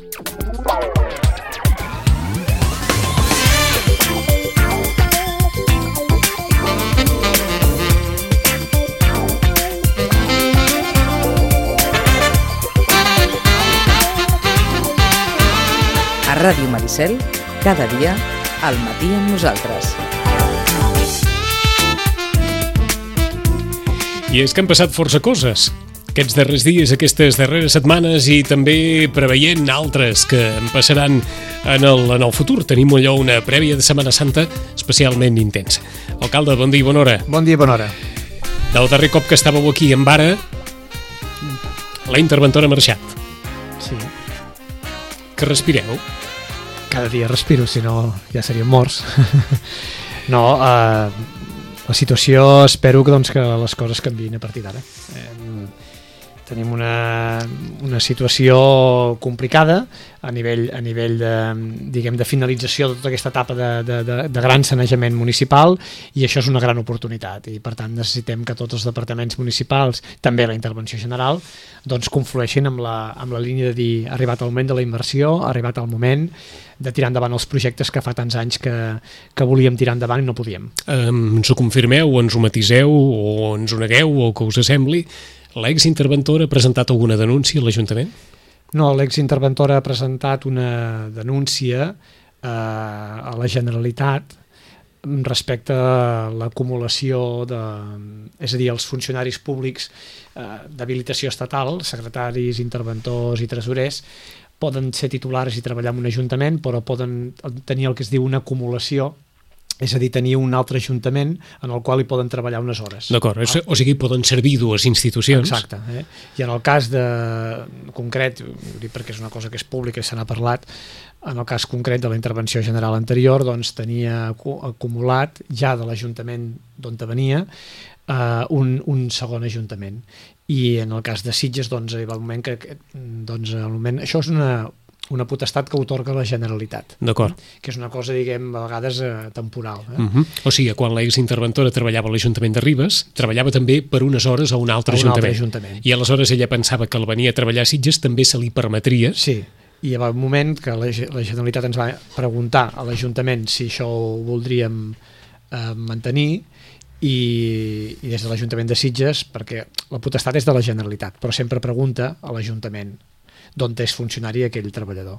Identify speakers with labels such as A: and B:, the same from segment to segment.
A: A Ràdio Maricel, cada dia, al matí amb nosaltres.
B: I és que han passat força coses aquests darrers dies, aquestes darreres setmanes, i també preveient altres que en passaran en el futur. Tenim allò una prèvia de Setmana Santa especialment intensa. Alcalde, bon dia i bona hora.
C: Bon dia i bona hora.
B: Del darrer cop que estàveu aquí en vara, la interventora ha marxat.
C: Sí.
B: Que respireu?
C: Cada dia respiro, si no ja seríem morts. No, la situació, espero que les coses canviïn a partir d'ara. Tenim una situació complicada a nivell de finalització de tota aquesta etapa de gran sanejament municipal, i això és una gran oportunitat, i per tant necessitem que tots els departaments municipals, també la intervenció general, conflueixin amb la línia de dir ha arribat el moment de la inversió, ha arribat el moment de tirar endavant els projectes que fa tants anys que volíem tirar endavant i no podíem.
B: Ens ho confirmeu, ens ho matiseu, o ens ho negueu, o que us sembli? L'exinterventora ha presentat alguna denúncia a l'Ajuntament?
C: No, l'exinterventora ha presentat una denúncia a la Generalitat respecte a l'acumulació és a dir, els funcionaris públics d'habilitació estatal, secretaris, interventors i tresorers, poden ser titulars i treballar en un ajuntament, però poden tenir el que es diu una acumulació, és a dir, tenir un altre ajuntament en el qual hi poden treballar unes hores.
B: D'acord, o sigui, poden servir dues institucions.
C: Exacte. I en el cas concret, perquè és una cosa que és pública i se n'ha parlat, en el cas concret de la intervenció general anterior, tenia acumulat ja de l'Ajuntament d'on venia un segon ajuntament. I en el cas de Sitges, hi va el moment que això és una potestat que atorga la Generalitat.
B: D'acord.
C: Que és una cosa, diguem, a vegades temporal.
B: O sigui, quan l'exinterventora treballava a l'Ajuntament de Ribes, treballava també per unes hores a un altre ajuntament. I aleshores ella pensava que el venir a treballar a Sitges també se li permetria.
C: Sí, i hi va un moment que la Generalitat ens va preguntar a l'Ajuntament si això ho voldríem mantenir, i des de l'Ajuntament de Sitges, perquè la potestat és de la Generalitat, però sempre pregunta a l'Ajuntament d'on és funcionari aquell treballador.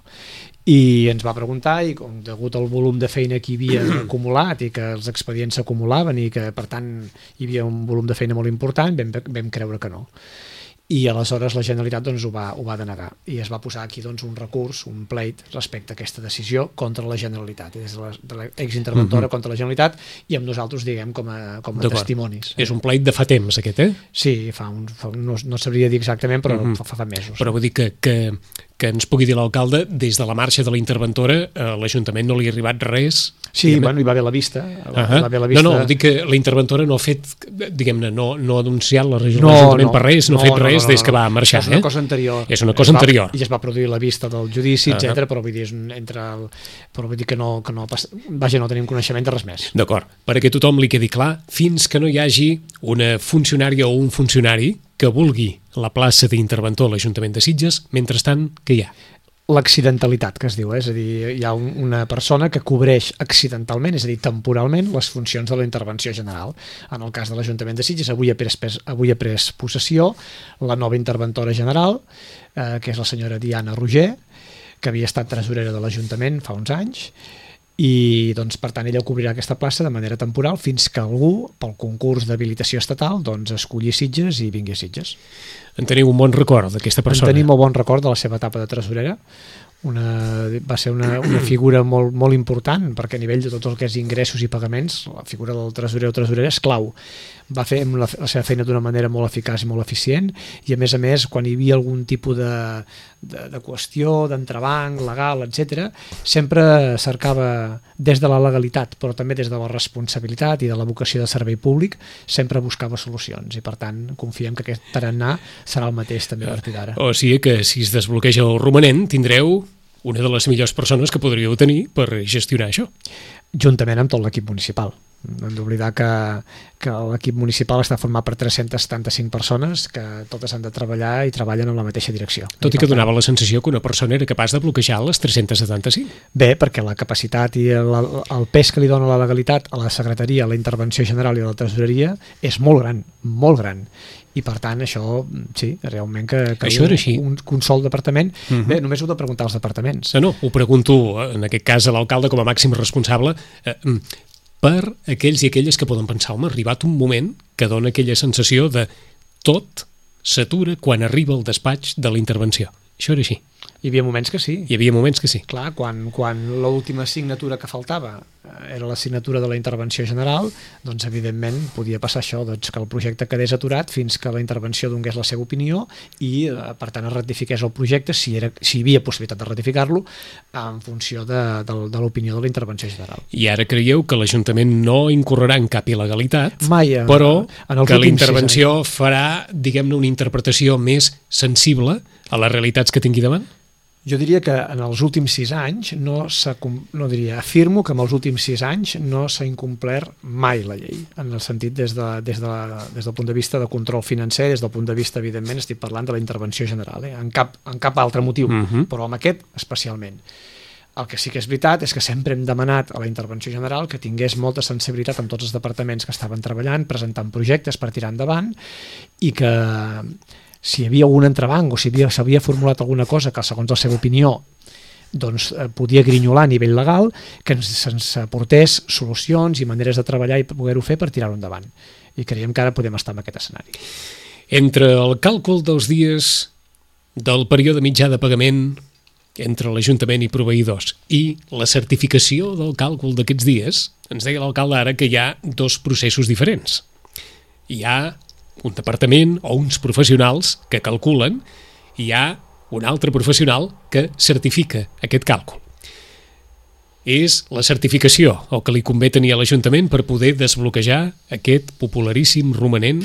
C: I ens va preguntar, i com degut al volum de feina que hi havia acumulat i que els expedients s'acumulaven i que per tant hi havia un volum de feina molt important, vam creure que no. I aleshores la Generalitat ho va denegar, i es va posar aquí un recurs, un pleit respecte a aquesta decisió contra la Generalitat, des de l'exinterventora contra la Generalitat, i amb nosaltres, diguem, com a testimonis.
B: És un pleit de fa temps, aquest,
C: Sí, no sabria dir exactament, però fa mesos.
B: Però vull dir que ens pugui dir l'alcalde, des de la marxa de la interventora a l'Ajuntament no li ha arribat res.
C: Sí, bueno, hi va haver la vista.
B: No, dic que la interventora no ha fet, diguem-ne, no ha denunciat l'Ajuntament per res, no ha fet res des que va marxar.
C: És una cosa anterior.
B: És una cosa anterior.
C: I es va produir la vista del judici, etc. Però vull dir, però vull dir que no tenim coneixement de res més.
B: D'acord, perquè a tothom li quedi clar, fins que no hi hagi una funcionària o un funcionari que vulgui la plaça d'interventor a l'Ajuntament de Sitges, mentrestant, què hi ha?
C: L'accidentalitat, que es diu, és a dir, hi ha una persona que cobreix accidentalment, és a dir, temporalment, les funcions de la intervenció general. En el cas de l'Ajuntament de Sitges, avui ha pres possessió la nova interventora general, que és la senyora Diana Roger, que havia estat tresorera de l'Ajuntament fa uns anys, i per tant ella cobrirà aquesta plaça de manera temporal fins que algú, pel concurs d'habilitació estatal, escolli Sitges i vingui a Sitges.
B: En teniu un bon record d'aquesta persona?
C: En tenim un bon record de la seva etapa de tresorera. Va ser una figura molt, molt important, perquè a nivell de tot el que és ingressos i pagaments, la figura del tresorer o tresorera és clau. Va fer la seva feina d'una manera molt eficaç i molt eficient, i a més, quan hi havia algun tipus de qüestió, d'entrebanc, legal, etc., sempre cercava des de la legalitat, però també des de la responsabilitat i de la vocació de servei públic, sempre buscava solucions, i per tant confiem que aquest tarannà serà el mateix també a partir d'ara.
B: O sigui que si es desbloqueja el romanent tindreu una de les millors persones que podríeu tenir per gestionar això.
C: Juntament amb tot l'equip municipal. No hem d'oblidar que l'equip municipal està format per 375 persones que totes han de treballar i treballen en la mateixa direcció.
B: Tot i que donava la sensació que una persona era capaç de bloquejar les 375.
C: Bé, perquè la capacitat i el pes que li dona la legalitat a la secretaria, a la intervenció general i a la tresoreria és molt gran. I per tant això, sí, realment que
B: això era així.
C: Un sol departament. Bé, només ho he de preguntar als departaments.
B: No, ho pregunto en aquest cas a l'alcalde com a màxim responsable, per aquells i aquelles que poden pensar, home, ha arribat un moment que dona aquella sensació de tot s'atura quan arriba el despatx de la intervenció. Això era així.
C: Hi havia moments que sí.
B: Hi havia moments que sí.
C: Clar, quan l'última signatura que faltava era la signatura de la intervenció general, doncs evidentment podia passar això, doncs, que el projecte quedés aturat fins que la intervenció donés la seva opinió i per tant es ratifiqués el projecte si hi havia possibilitat de ratificar-lo en funció de l'opinió de la intervenció general.
B: I ara creieu que l'Ajuntament no incorrerà en cap il·legalitat,
C: mai,
B: però que la intervenció farà, diguem-ne, una interpretació més sensible a les realitats que tingui davant?
C: Jo diria que en els últims 6 anys afirmo que en els últims 6 anys no s'ha incomplert mai la llei, en el sentit des del punt de vista de control financer, des del punt de vista, evidentment, estic parlant de la intervenció general, en cap altre motiu, però amb aquest especialment. El que sí que és veritat és que sempre hem demanat a la intervenció general que tingués molta sensibilitat amb tots els departaments que estaven treballant, presentant projectes per tirar endavant, i que si hi havia algun entrebanc o si s'havia formulat alguna cosa que segons la seva opinió doncs podia grinyolar a nivell legal, que se'ns aportés solucions i maneres de treballar i poder-ho fer per tirar-ho endavant. I creiem que ara podem estar en aquest escenari.
B: Entre el càlcul dels dies del període mitjà de pagament entre l'Ajuntament i proveïdors i la certificació del càlcul d'aquests dies, ens deia l'alcalde ara que hi ha 2 processos diferents. Hi ha un departament o uns professionals que calculen i hi ha un altre professional que certifica aquest càlcul. És la certificació el que li convé tenir a l'Ajuntament per poder desbloquejar aquest popularíssim romanent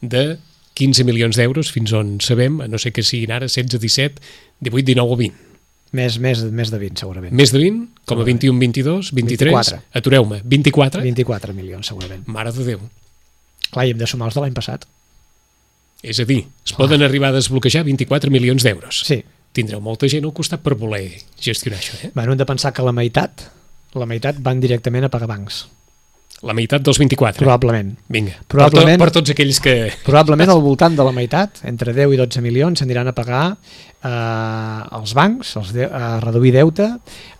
B: de 15 milions d'euros, fins on sabem, a no ser que siguin ara 16, 17, 18, 19 o 20.
C: Més de 20, segurament.
B: Més de 20? Com a 21, 22, 23?
C: 24.
B: Atureu-me. 24?
C: 24 milions, segurament.
B: Mare de Déu.
C: Clar, i hem de sumar els de l'any passat.
B: És a dir, es poden arribar a desbloquejar 24 milions d'euros.
C: Sí.
B: Tindreu molta gent al costat per voler gestionar això, eh?
C: Bueno, hem de pensar que la meitat van directament a pagar bancs.
B: La meitat dels 24?
C: Probablement.
B: Vinga,
C: probablement,
B: per tots aquells que...
C: Probablement al voltant de la meitat, entre 10 i 12 milions, aniran a pagar els bancs, a reduir deute,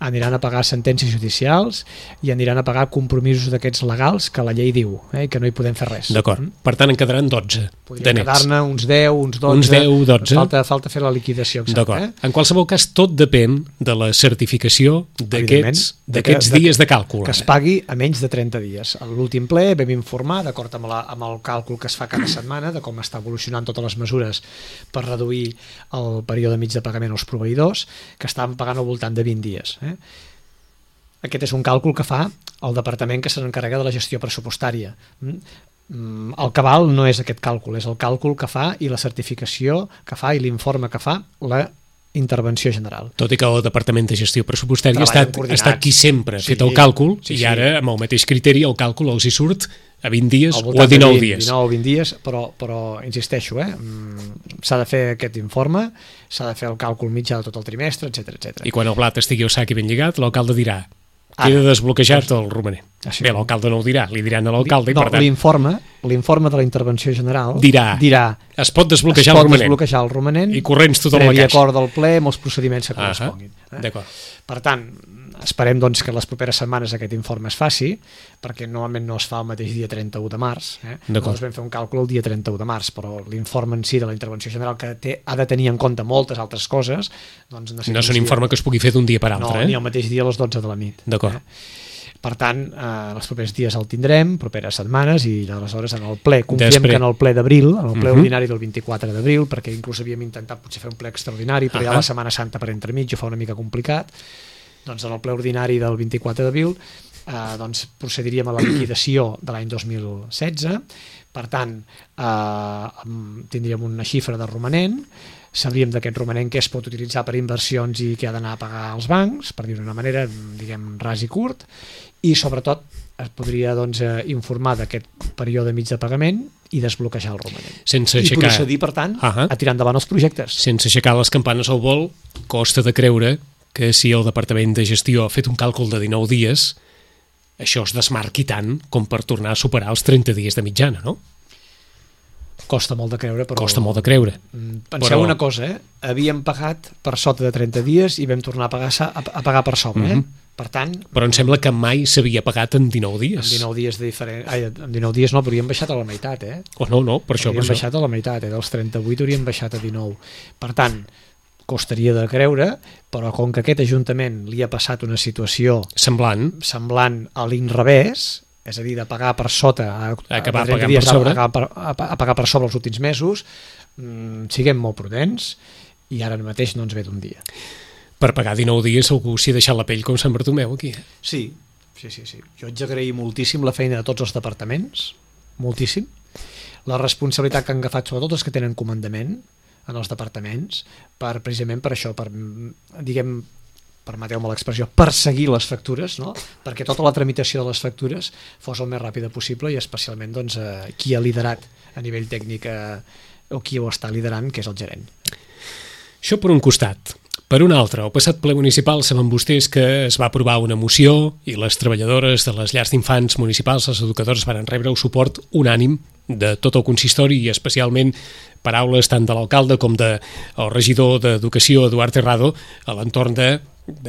C: aniran a pagar sentències judicials i aniran a pagar compromisos d'aquests legals que la llei diu, que no hi podem fer res.
B: D'acord. Per tant, en quedaran 12
C: Podria
B: de nets.
C: quedar-ne uns 10, uns 12.
B: Uns 10, 12.
C: Falta fer la liquidació exacta.
B: D'acord. En qualsevol cas, tot depèn de la certificació d'aquests dies de càlcul.
C: Que es pagui a menys de 30 dies. A l'últim ple vam informar, d'acord amb el càlcul que es fa cada setmana, de com està evolucionant totes les mesures per reduir el període mig de pagament als proveïdors, que estaven pagant al voltant de 20 dies. Aquest és un càlcul que fa el departament que se n'encarrega de la gestió pressupostària. El cabal no és aquest càlcul, és el càlcul que fa i la certificació que fa i l'informe que fa la intervenció general.
B: Tot i que el Departament de Gestió Pressupostària ha estat qui sempre ha fet el càlcul i ara, amb el mateix criteri, el càlcul els hi surt a 20 dies o a 19 dies.
C: 19 o 20 dies, però insisteixo, s'ha de fer aquest informe, s'ha de fer el càlcul mitjà de tot el trimestre, etc.
B: I quan el blat estigui al sac i ben lligat, l'alcalde dirà queda desbloquejat el romanent. Bé, l'alcalde no ho dirà, li diran a l'alcalde.
C: No, l'informe de la intervenció general dirà
B: es pot desbloquejar
C: el romanent
B: i corrents tota la caixa.
C: Previ acord del ple amb els procediments que corresponguin.
B: D'acord.
C: Per tant, esperem doncs, que les properes setmanes aquest informe es faci, perquè normalment no es fa el mateix dia 31 de març. Nosaltres vam fer un càlcul el dia 31 de març, però l'informe en si de la intervenció general, que ha de tenir en compte moltes altres coses, doncs
B: no és un informe que es pugui fer d'un dia per altre.
C: No, ni el mateix dia a les 12 de la nit.
B: D'acord.
C: Per tant, els propers dies el tindrem, properes setmanes, i aleshores en el ple, confiem que en el ple d'abril, en el ple ordinari del 24 d'abril, perquè inclús havíem intentat potser fer un ple extraordinari, però ja la Setmana Santa per entremig ho fa una mica complicat, doncs en el ple ordinari del 24 d'abril doncs procediríem a la liquidació de l'any 2016, per tant tindríem una xifra de romanent, sabríem d'aquest romanent què es pot utilitzar per inversions i què ha d'anar a pagar als bancs, per dir-ho d'una manera, diguem, ras i curt, i sobretot es podria doncs, informar d'aquest període mig de pagament i desbloquejar el romanent. I procedir, per tant, a tirar endavant els projectes.
B: Sense aixecar les campanes al vol, costa de creure que si el Departament de Gestió ha fet un càlcul de 19 dies, això es desmarqui tant com per tornar a superar els 30 dies de mitjana, no?
C: Costa molt de creure, però...
B: Costa molt de creure.
C: Penseu una cosa, havíem pagat per sota de 30 dies i vam tornar a pagar per sobre, Per tant...
B: Però em sembla que mai s'havia pagat en 19 dies.
C: En 19 dies en 19 dies no, però hauríem baixat a la meitat,
B: No, per això.
C: Hauríem baixat a la meitat, dels 38 hauríem baixat a 19. Per tant, costaria de creure, però com que aquest Ajuntament li ha passat una situació
B: semblant
C: a l'inrevés, és a dir, de pagar per sota,
B: a pagar
C: per sobre els últims mesos, siguem molt prudents i ara mateix no ens ve d'un dia.
B: Per pagar 19 dies algú s'hi ha deixat la pell com Sant Bartomeu aquí.
C: Sí. Jo haig d'agrair moltíssim la feina de tots els departaments, moltíssim, la responsabilitat que han agafat sobretot els que tenen comandament en els departaments, precisament per això, permeteu-me l'expressió, perseguir les factures, no? Perquè tota la tramitació de les factures fos el més ràpida possible i especialment doncs, qui ha liderat a nivell tècnic o qui ho està liderant, que és el gerent.
B: Això per un costat. Per un altre, al passat ple municipal saben vostès que es va aprovar una moció i les treballadores de les llars d'infants municipals, les educadores, van rebre el suport unànim de tot el consistori i especialment paraules tant de l'alcalde com del regidor d'Educació, Eduard Terrado, a l'entorn de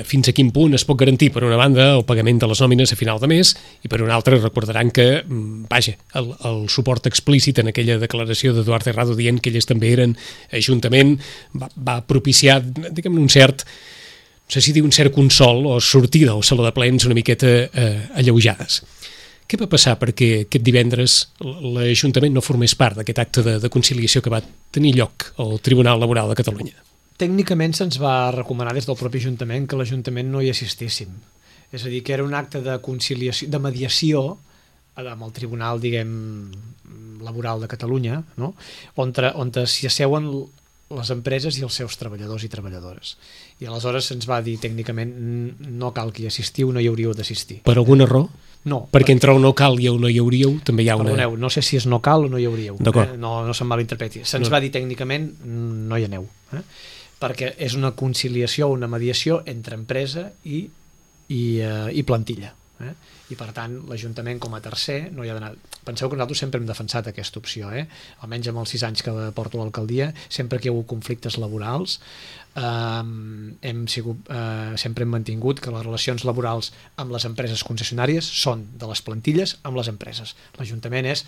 B: fins a quin punt es pot garantir, per una banda, el pagament de les nòmines a final de mes i per una altra recordaran que, el suport explícit en aquella declaració d'Eduard Terrado dient que elles també eren Ajuntament va propiciar, diguem-ne, un cert, no sé si dir un cert consol o sortir del saló de plens una miqueta alleujades. Què va passar perquè aquest divendres l'Ajuntament no formés part d'aquest acte de conciliació que va tenir lloc al Tribunal Laboral de Catalunya?
C: Tècnicament se'ns va recomanar des del propi Ajuntament que l'Ajuntament no hi assistíssim. És a dir, que era un acte de conciliació, de mediació amb el Tribunal, Laboral de Catalunya, no? on s'hi asseuen les empreses i els seus treballadors i treballadores. I aleshores se'ns va dir tècnicament no cal que hi assistiu, no hi hauríeu d'assistir.
B: Per alguna raó?
C: No.
B: Perquè entre el no cal i el no hi hauríeu també hi ha una...
C: Perdoneu, no sé si és no cal o no hi hauríeu. No se'n malinterpreti. Se'ns va dir tècnicament no hi aneu. Perquè és una conciliació, una mediació entre empresa i plantilla. I per tant l'Ajuntament com a tercer no hi ha d'anar. Penseu que nosaltres sempre hem defensat aquesta opció, almenys amb els 6 anys que porto a l'alcaldia, sempre que hi ha hagut conflictes laborals sempre hem mantingut que les relacions laborals amb les empreses concessionàries són de les plantilles amb les empreses. L'Ajuntament és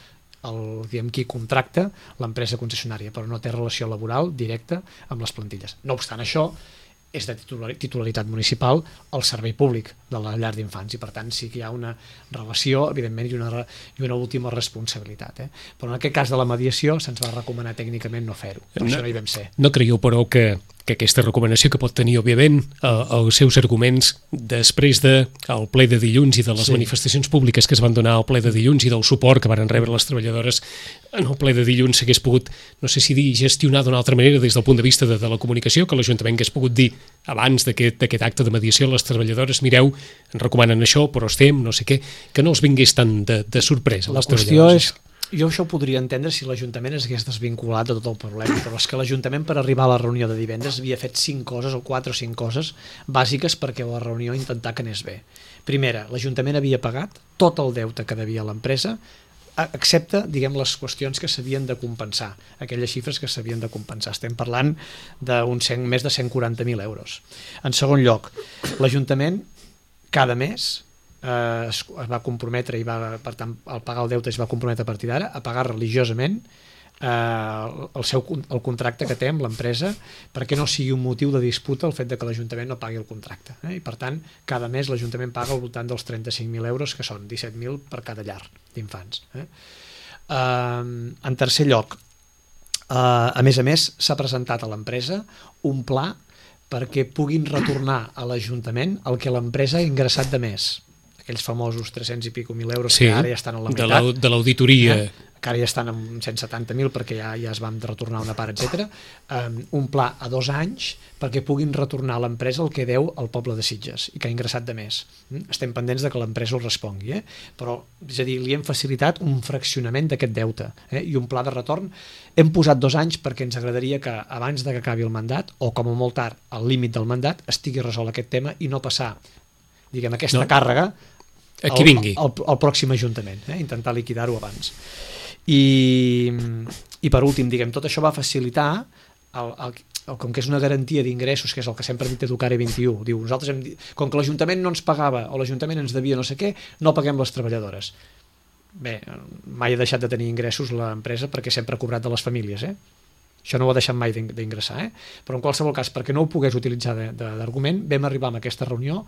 C: qui contracta l'empresa concessionària, però no té relació laboral directa amb les plantilles. No obstant això, és de titularitat municipal el servei públic de la llar d'infants i per tant sí que hi ha una relació evidentment i una última responsabilitat. Però en aquest cas de la mediació se'ns va recomanar tècnicament no fer-ho, per això no hi vam ser.
B: No creieu però que aquesta recomanació que pot tenir òbviament els seus arguments després del ple de dilluns i de les manifestacions públiques que es van donar al ple de dilluns i del suport que van rebre les treballadores en el ple de dilluns s'hagués pogut, no sé si dir, gestionar d'una altra manera des del punt de vista de la comunicació, que l'Ajuntament hagués pogut dir abans d'aquest acte de mediació a les treballadores, mireu, ens recomanen això, però estem, no sé què, que no els vingués tant de sorpresa.
C: La qüestió és, jo això ho podria entendre si l'Ajuntament es hagués desvinculat de tot el problema, però és que l'Ajuntament per arribar a la reunió de divendres havia fet 5 coses o 4 o 5 coses bàsiques perquè la reunió intentar que anés bé. Primera, l'Ajuntament havia pagat tot el deute que devia a l'empresa, excepte, les qüestions que s'havien de compensar, aquelles xifres que s'havien de compensar. Estem parlant de més de 140.000 euros. En segon lloc, l'Ajuntament cada mes es va comprometre i per tant al pagar el deute es va comprometre a partir d'ara a pagar religiosament el contracte que té amb l'empresa perquè no sigui un motiu de disputa el fet de que l'Ajuntament no pagui el contracte. I per tant, cada mes l'Ajuntament paga al voltant dels 35.000 euros, que són 17.000 per cada llar d'infants. En tercer lloc, a més, s'ha presentat a l'empresa un pla perquè puguin retornar a l'Ajuntament el que l'empresa ha ingressat de més. Aquells famosos 300 i pico mil euros que ara ja estan a la meitat.
B: De l'auditoria
C: que ara ja estan amb 170.000 perquè ja es van retornar una part, etc. Un pla a 2 anys perquè puguin retornar a l'empresa el que deu al poble de Sitges i que ha ingressat de més. Estem pendents de que l'empresa ho respongui, però és a dir, li hem facilitat un fraccionament d'aquest deute i un pla de retorn. Hem posat 2 anys perquè ens agradaria que abans de que acabi el mandat, o com a molt tard al límit del mandat, estigui resolt aquest tema i no passar, diguem, aquesta càrrega
B: qui vingui
C: al pròxim ajuntament, intentar liquidar-ho abans. I per últim, diguem, tot això va facilitar com que és una garantia d'ingressos, que és el que sempre ha dit Educare 21, diu, nosaltres com que l'Ajuntament no ens pagava o l'Ajuntament ens devia no sé què, no paguem les treballadores. Bé, mai ha deixat de tenir ingressos l'empresa perquè sempre ha cobrat de les famílies, això no ho ha deixat mai d'ingressar, però en qualsevol cas, perquè no ho pogués utilitzar d'argument, vam arribar a aquesta reunió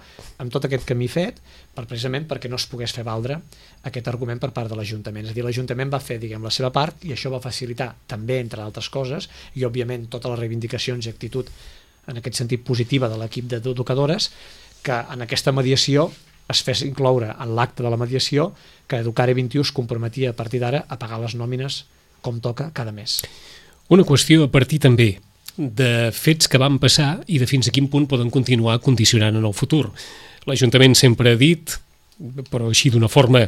C: amb tot aquest camí fet, precisament perquè no es pogués fer valdre aquest argument per part de l'Ajuntament. És a dir, l'Ajuntament va fer, diguem, la seva part i això va facilitar també, entre altres coses, i òbviament totes les reivindicacions i actitud en aquest sentit positiva de l'equip d'educadores, que en aquesta mediació es fes incloure en l'acte de la mediació que Educare 21 es comprometia a partir d'ara a pagar les nòmines com toca cada mes.
B: Una qüestió a partir també de fets que van passar i de fins a quin punt poden continuar condicionant en el futur. L'Ajuntament sempre ha dit, però així d'una forma,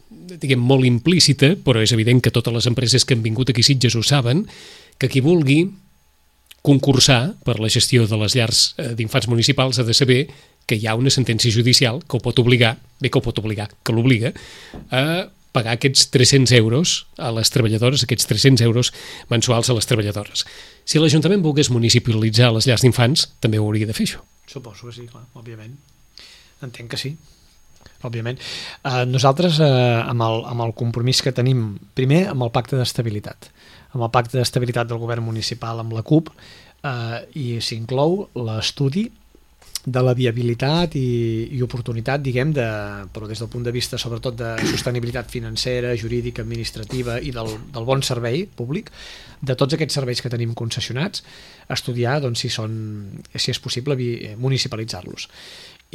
B: diguem, molt implícita, però és evident que totes les empreses que han vingut aquí a Sitges ho saben, que qui vulgui concursar per la gestió de les llars d'infants municipals ha de saber que hi ha una sentència judicial que ho pot obligar, que l'obliga a pagar aquests 300 euros a les treballadores, aquests 300 euros mensuals a les treballadores. Si l'Ajuntament volgués municipalitzar les llars d'infants, també ho hauria de fer, això.
C: Suposo que sí, clar, òbviament. Entenc que sí, òbviament. Nosaltres, amb el compromís que tenim, primer, amb el pacte d'estabilitat. Amb el pacte d'estabilitat del govern municipal amb la CUP, i s'inclou l'estudi de la viabilitat i oportunitat, diguem, però des del punt de vista sobretot de sostenibilitat financera, jurídica, administrativa i del bon servei públic, de tots aquests serveis que tenim concessionats, estudiar doncs, si és possible municipalitzar-los.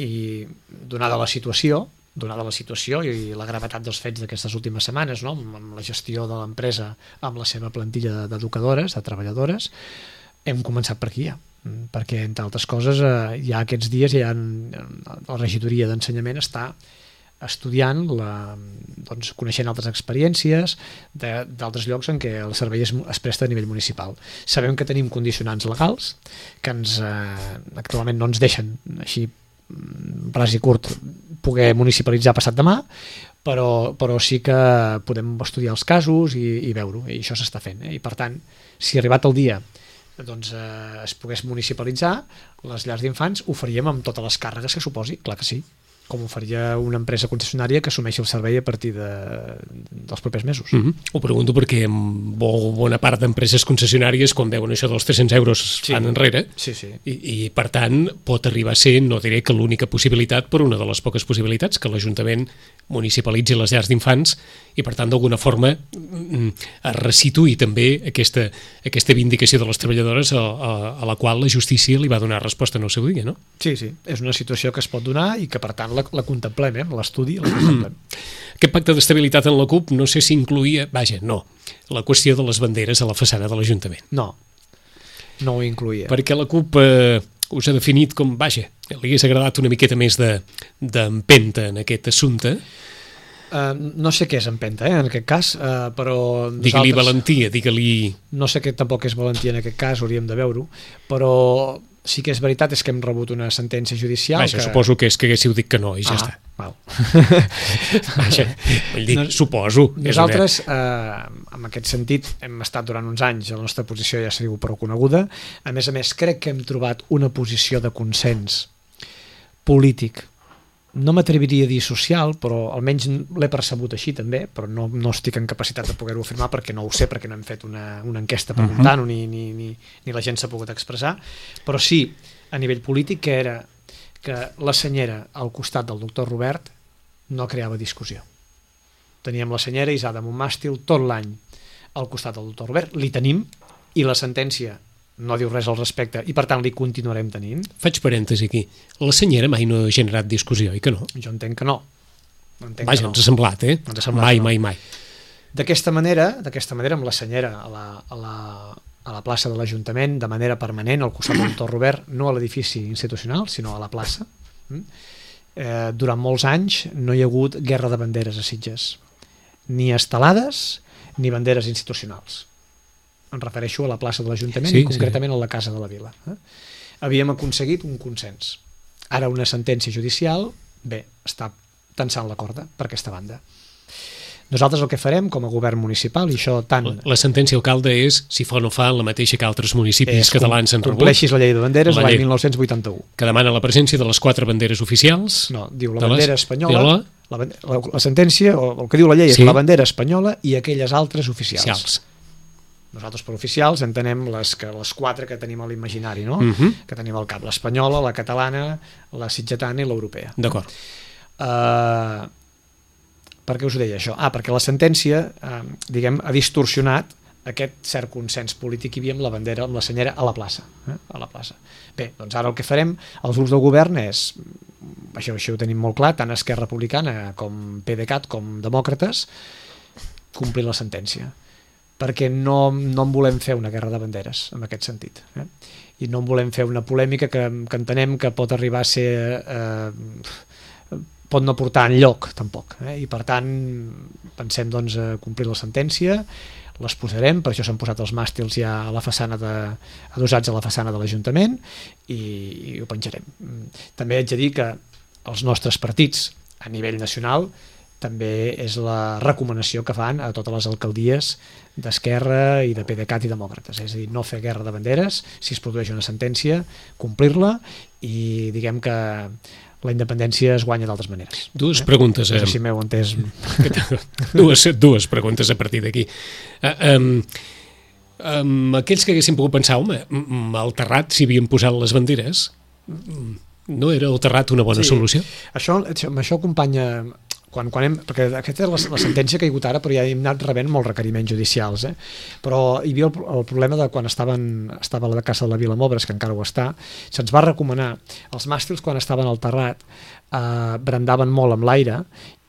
C: I donada la situació i la gravetat dels fets d'aquestes últimes setmanes, no? Amb la gestió de l'empresa, amb la seva plantilla d'educadores, de treballadores, hem començat per aquí ja, perquè entre altres coses ja aquests dies la regidoria d'ensenyament està estudiant, coneixent altres experiències d'altres llocs en què el servei es presta a nivell municipal. Sabem que tenim condicionants legals que actualment no ens deixen així ras i curt poder municipalitzar passat demà, però sí que podem estudiar els casos i veure-ho, i això s'està fent, i per tant, si arribat el dia es pogués municipalitzar les llars d'infants, ho faríem amb totes les càrregues que suposi, clar que sí, com ho faria una empresa concessionària que assumeixi el servei a partir dels propers mesos.
B: Ho pregunto perquè bona part d'empreses concessionàries, quan veuen això dels 300 euros fan enrere, i per tant pot arribar a ser, no diré que l'única possibilitat, però una de les poques possibilitats, que l'Ajuntament municipalitzi les llars d'infants i per tant d'alguna forma es resituï també aquesta vindicació de les treballadores a la qual la justícia li va donar resposta en el seu dia, no?
C: Sí, és una situació que es pot donar i que per tant la contemplem, l'estudi la contemplem.
B: Aquest pacte d'estabilitat en la CUP no sé si incloïa, la qüestió de les banderes a la façana de l'Ajuntament.
C: No ho incloïa.
B: Perquè la CUP us ha definit com, li hagués agradat una miqueta més d'empenta en aquest assumpte.
C: No sé què és empenta, en aquest cas, però
B: digue-li valentia, digue-li...
C: No sé què tampoc és valentia en aquest cas, hauríem de veure-ho, però sí que és veritat és que hem rebut una sentència judicial
B: suposo que és que haguéssiu dit que no i ja està. Suposo.
C: Nosaltres, en aquest sentit, hem estat durant uns anys, la nostra posició ja s'ha dit prou coneguda. A més, crec que hem trobat una posició de consens polític, no m'atreviria a dir social, però almenys l'he percebut així també, però no estic en capacitat de poder-ho afirmar perquè no ho sé, perquè no hem fet una enquesta preguntant-ho ni la gent s'ha pogut expressar, però sí a nivell polític que era que la senyera al costat del doctor Robert no creava discussió. Teníem la senyera Isada Montmàstil tot l'any al costat del doctor Robert, li tenim, i la sentència no diu res al respecte i per tant li continuarem tenint.
B: Faig parèntesi aquí. La senyera mai no ha generat discussió, oi que no?
C: Jo entenc que no.
B: Ens ha semblat,
C: Mai. D'aquesta manera, amb la senyera a la plaça de l'Ajuntament, de manera permanent, al costat del Torre Robert, no a l'edifici institucional, sinó a la plaça. Durant molts anys no hi ha hagut guerra de banderes a Sitges, ni estelades ni banderes institucionals. Em refereixo a la plaça de l'Ajuntament i concretament a la Casa de la Vila. Havíem aconseguit un consens. Ara una sentència judicial, està tensant la corda per aquesta banda. Nosaltres el que farem com a govern municipal, i això tant...
B: La sentència, alcalde, és si fa o no fa la mateixa que altres municipis catalans han rebut.
C: Compleixis la llei de banderes l'any 1981.
B: Que demana la presència de les 4 banderes oficials.
C: No, diu la bandera espanyola... La sentència, o el que diu la llei, és la bandera espanyola i aquelles altres oficials. Nosaltres per oficials entenem les 4 que tenim a l'imaginari, no? Que tenim al cap, l'espanyola, la catalana, la sitgetana i l'europea.
B: D'acord.
C: Per què us ho deia això? Perquè la sentència ha distorsionat aquest cert consens polític que hi havia amb la bandera, amb la senyera a la plaça. Bé, doncs ara el que farem els grups del govern és, això ho tenim molt clar, tant Esquerra Republicana com PDeCAT com Demòcrates, complir la sentència. Perquè no en volem fer una guerra de banderes, en aquest sentit. I no en volem fer una polèmica que entenem que pot arribar a ser... pot no portar enlloc, tampoc. I per tant, pensem complir la sentència, les posarem, per això s'han posat els màstils ja a la façana adossats a la façana de l'Ajuntament i ho penjarem. També haig de dir que els nostres partits, a nivell nacional, també és la recomanació que fan a totes les alcaldies d'Esquerra i de PDeCAT i Demòcrates, és a dir, no fer guerra de banderes, si es produeix una sentència, complir-la i diguem que la independència es guanya d'altres maneres.
B: Dues preguntes.
C: No sé si m'heu entès.
B: Dues preguntes a partir d'aquí. Aquells que haguessin pogut pensar, home, al Terrat s'hi havien posat les banderes, no era el Terrat una bona solució?
C: Amb això acompanya... perquè aquesta és la sentència que hi ha hagut ara, però ja hem anat rebent molts requeriments judicials, però hi havia el problema de quan estava la Casa de la Vila amb obres, que encara ho està, se'ns va recomanar, els màstils quan estaven al Terrat brandaven molt amb l'aire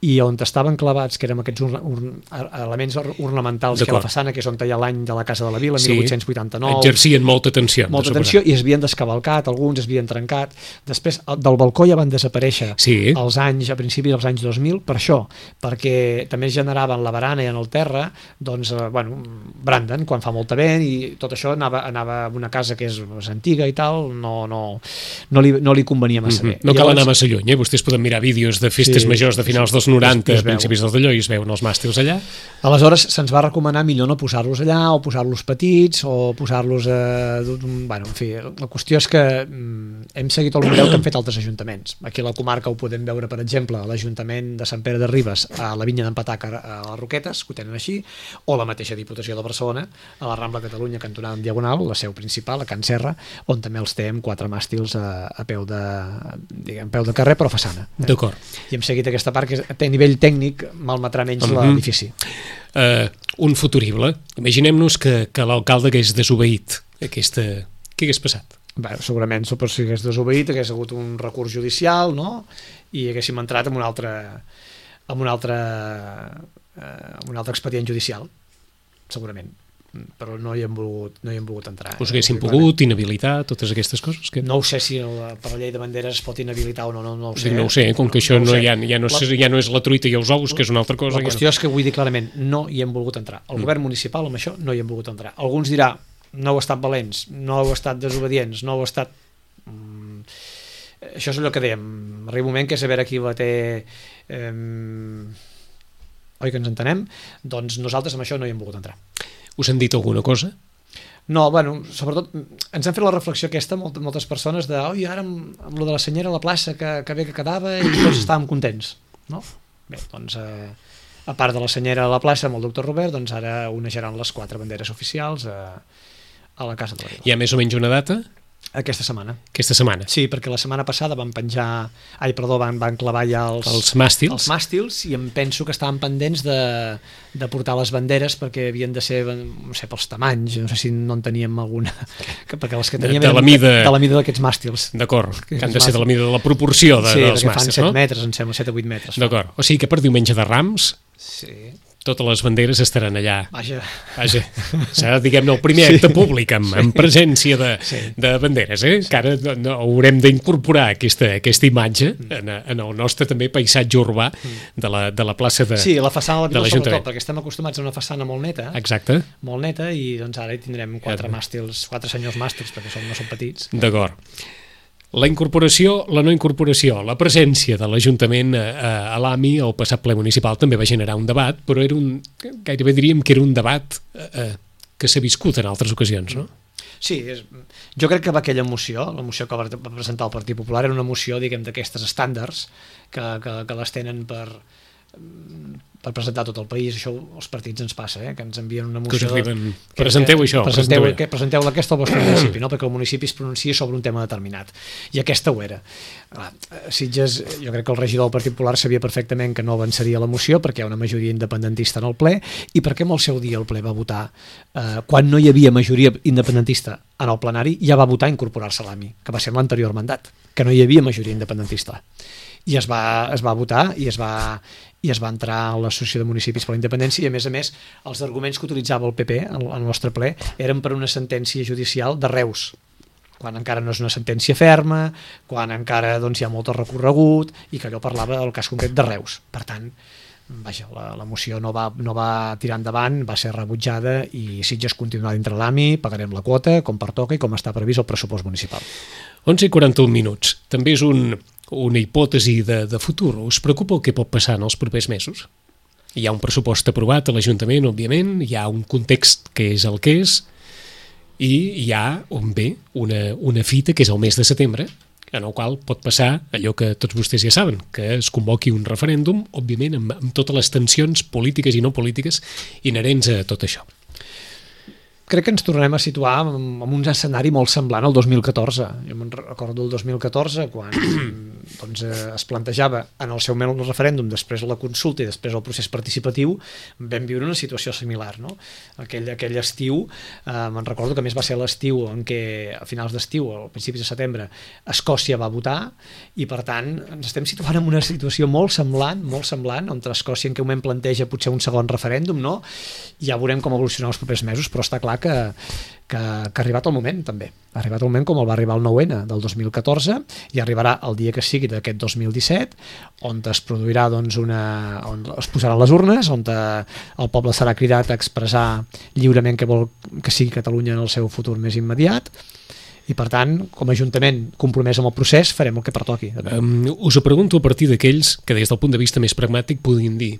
C: i on estaven clavats, que eren aquests elements ornamentals que a la façana, que és on hi ha l'any de la Casa de la Vila, 1889.
B: Exercien molta tensió.
C: Molta tensió i es havien descavalcat, alguns es havien trencat. Després del balcó ja van desaparèixer als anys, a principis dels anys 2000, per això, perquè també es generaven la barana i en el terra, doncs, branden quan fa molta vent i tot això anava a una casa que és antiga i tal, no li convenia massa bé.
B: No cal anar massa lluny, vostès poden mirar vídeos de festes majors de finals dels 90, principis dels d'allò, i es veuen els màstils allà.
C: Aleshores se'ns va recomanar millor no posar-los allà, o posar-los petits, o posar-los en fi, la qüestió és que hem seguit el model que han fet altres ajuntaments. Aquí a la comarca ho podem veure, per exemple, a l'Ajuntament de Sant Pere de Ribes, a la Vinya d'en Patac, a les Roquetes, que ho tenen així, o la mateixa Diputació de Barcelona, a la Rambla Catalunya, cantonada en Diagonal, la seu principal, a Can Serra, on també els té amb 4 màstils a peu de carrer, però a façana.
B: D'acord.
C: I hem seguit aquesta part que a nivell tècnic malmetrà menys l'edifici.
B: Un futurible. Imaginem-nos que l'alcalde hagués desobeït aquesta... Què hagués passat?
C: Segurament, si hagués desobeït, hagués hagut un recurs judicial, no? I haguéssim entrat en un altre expedient judicial, segurament. Però no hi hem volgut entrar.
B: Us haguessin pogut inhabilitar totes aquestes coses?
C: No ho sé si per la llei de banderes es pot inhabilitar o no ho sé.
B: No ho sé, com que això ja no és la truita i els ous, que és una altra cosa.
C: La qüestió és que vull dir clarament, no hi hem volgut entrar. El govern municipal amb això no hi hem volgut entrar. Alguns dirà, no heu estat valents, no heu estat desobedients, no heu estat... Això és allò que dèiem, arriba un moment que és a veure qui la té... Oi que ens entenem? Doncs nosaltres amb això no hi hem volgut entrar.
B: Us han dit alguna cosa?
C: No, sobretot ens han fet la reflexió aquesta moltes persones de oi, ara amb lo de la senyera a la plaça que bé que quedava i tots estàvem contents, no? Bé, doncs a part de la senyera a la plaça amb el doctor Robert, doncs ara onejaran les 4 banderes oficials a la Casa de la Vila.
B: Hi ha més o menys una data?
C: Aquesta setmana.
B: Aquesta setmana?
C: Sí, perquè la setmana passada van clavar ja els màstils i em penso que estaven pendents de portar les banderes perquè havien de ser, no sé, pels tamanys, no sé si no en teníem alguna, perquè les que teníem
B: de la
C: mida d'aquests màstils.
B: D'acord, que han de ser de la mida de la proporció dels màstils, no?
C: Sí, perquè fan 7 metres, em sembla, 7 o 8 metres.
B: D'acord, o sigui que per diumenge de Rams...
C: Sí.
B: totes les banderes estaran allà.
C: Vaja.
B: Serà, diguem-ne, el primer acte públic amb presència de banderes, que ara haurem d'incorporar aquesta imatge en el nostre també paisatge urbà de la plaça de
C: Sí, la façana de
B: l'Ajuntament.
C: sobretot, perquè estem acostumats a una façana molt neta.
B: Exacte.
C: Molt neta, i doncs ara hi tindrem 4 senyors màstils, perquè no són petits.
B: D'acord. La incorporació, la no incorporació, la presència de l'Ajuntament a l'AMI al passat ple municipal també va generar un debat, però gairebé diríem que era un debat que s'ha viscut en altres ocasions, no?
C: Sí, jo crec que aquella moció, la moció que va presentar el Partit Popular, era una moció, diguem, d'aquestes estàndards que les tenen per presentar tot el país. Això els partits ens passa, que ens envien una moció...
B: Presenteu això.
C: Presenteu aquesta al vostre municipi, no? Perquè el municipi es pronuncia sobre un tema determinat. I aquesta ho era. Sitges, jo crec que el regidor del Partit Popular sabia perfectament que no avançaria la moció perquè hi ha una majoria independentista en el ple, i perquè en el seu dia el ple va votar, quan no hi havia majoria independentista en el plenari, ja va votar incorporar-se a l'AMI, que va ser en l'anterior mandat, que no hi havia majoria independentista. I es va votar i es va entrar a l'Associació de Municipis per la Independència, i a més els arguments que utilitzava el PP al nostre ple eren per una sentència judicial de Reus, quan encara no és una sentència ferma, quan encara hi ha molt recorregut, i que allò parlava del cas concret de Reus. Per tant, vaja, la moció no va tirar endavant, va ser rebutjada, i Sitges continuarà dintre l'AMI, pagarem la quota com pertoca i com està previst el pressupost municipal.
B: 11:41 minuts. També és una hipòtesi de futur. Us preocupa el que pot passar en els propers mesos? Hi ha un pressupost aprovat a l'Ajuntament, òbviament, hi ha un context que és el que és, i hi ha una fita que és el mes de setembre, en el qual pot passar allò que tots vostès ja saben, que es convoqui un referèndum, òbviament amb totes les tensions polítiques i no polítiques inherents a tot això.
C: Crec que ens tornarem a situar en un escenari molt semblant al 2014. Jo me'n recordo el 2014, quan es plantejava en el seu moment el referèndum, després la consulta i després el procés participatiu. Vam viure una situació similar, no? Aquell estiu, me'n recordo que a més va ser l'estiu en què, a finals d'estiu, a principis de setembre, Escòcia va votar, i per tant ens estem situant en una situació molt semblant, on Escòcia en què moment planteja potser un segon referèndum, no? Ja veurem com evolucionar els propers mesos, però està clar que ha arribat el moment, també. Ha arribat el moment com el va arribar el 9-N del 2014, i arribarà el dia que sigui d'aquest 2017, on es produirà on es posaran les urnes, on el poble serà cridat a expressar lliurement que vol que sigui Catalunya en el seu futur més immediat, i per tant, com a Ajuntament compromès amb el procés, farem el que pertoqui.
B: Us ho pregunto a partir d'aquells que des del punt de vista més pragmàtic puguin dir: